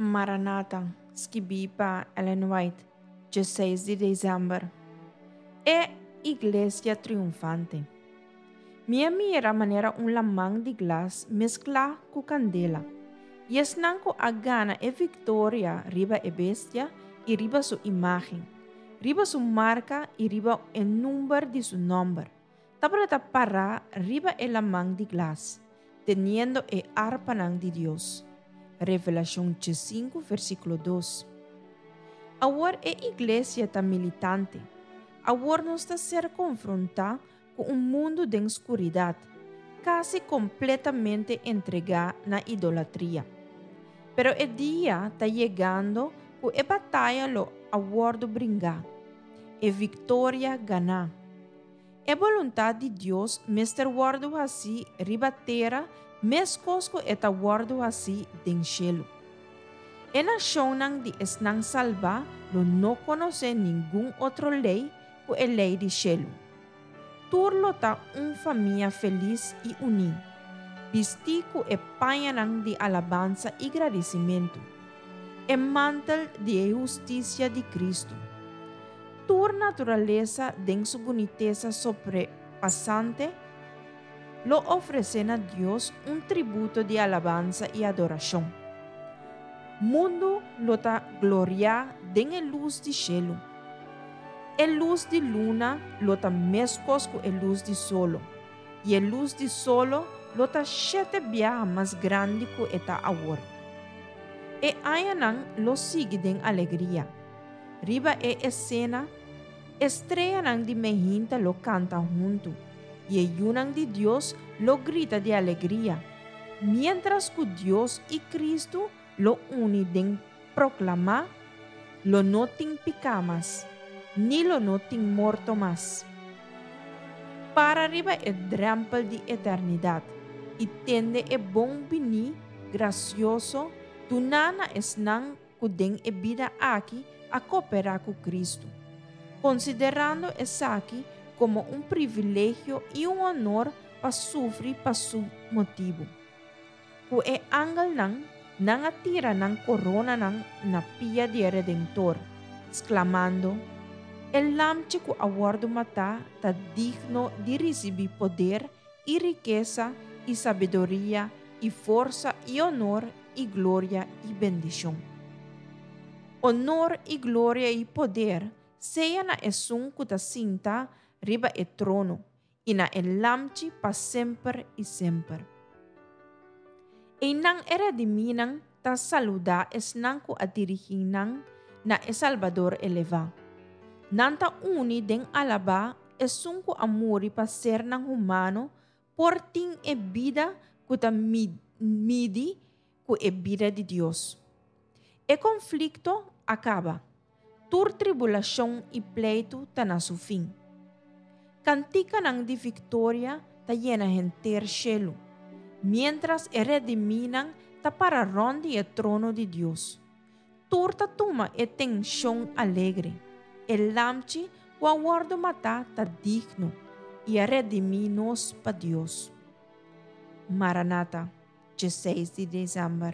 Maranata, skibí pa Ellen White, 16 di desèmber. E Iglesia Triunfante. Mi a mira manera un laman di glas mesklá ku kandela, i esnan ku a gana e viktoria riba e bestia i riba su imágen, riba su marka i riba e number di su nòmber, tabata pará riba e laman di glas, teniendo e arpanan di Dios. Revelashon 5, versíkulo 2. Awor e iglesia ta militante. Awor nos ta ser konfrontá ku un mundu den skuridat, kasi kompletamente entregá na idolatria. Pero e dia ta yegando ku e bataya lo a wòrdu bringá, e viktoria ganá. E boluntat di Dios mester wòrdu hasí riba tera meskos ku e ta wòrdu hasí den shelu. E nashonnan di esnan salbá lo no konosé ningun otro lei ku e lei di shelu. Tur lo ta un famia felis i uní, bistí ku e pañanan di alabansa i gradisimentu, e mantel di e hustisia di Kristu. Tur naturalesa den su bunitesa sobrepasante lo ofresé na Dios un tributo di alabansa i adorashon. Mundu lo ta gloriá den e lus di shelu. E lus di luna lo ta meskos ku e lus di solo, i e lus di solo lo ta shete biaha mas grandi ku e ta awor. E añanan lo sigui den alegria. Riba e esena, e streanan di mehinta lo kanta huntu, i e yunan di Dios lo grita di alegria, miéntras ku Dios i Kristu lo uni den proklamá, Lo no tin piká mas, ni lo no tin morto mas. Para riba e drèmpel di eternidat i tende e bon biní grasioso duná na esnan ku den e bida aki a koperá ku Kristu, konsiderando esaki komo un privilegio i un onor pa sufri pa su motibu. Ku e angelnan, nan a tira nan koronanan na pia di e Redentor, sklamando, E Lamchi ku a wòrdu matá ta digno di risibí poder i rikesa i sabiduria i forsa i onor i gloria i bendishon. Onor i gloria i poder sea na Esun ku ta sinta riba e trono i na e Lamchi pa semper i semper. Einan e redimínan ta saludá esnan ku a dirigí nan na e Salbador elevá. Nan ta uni den alabá Esun ku a muri pa sernan humano por tin e bida ku ta midi ku e bida di Dios. E konflikto a kaba. Tur tribulashon i pleitu ta na su fin. Kantikanan di viktoria ta yena henter shelu, miéntras e redimínan ta para rònt di e trono di Dios. Tur ta tuma e tenshon alegre. E Lamchi ku a wòrdu matá ta digno i a redimí nos pa Dios. Maranata, 16 di desèmber.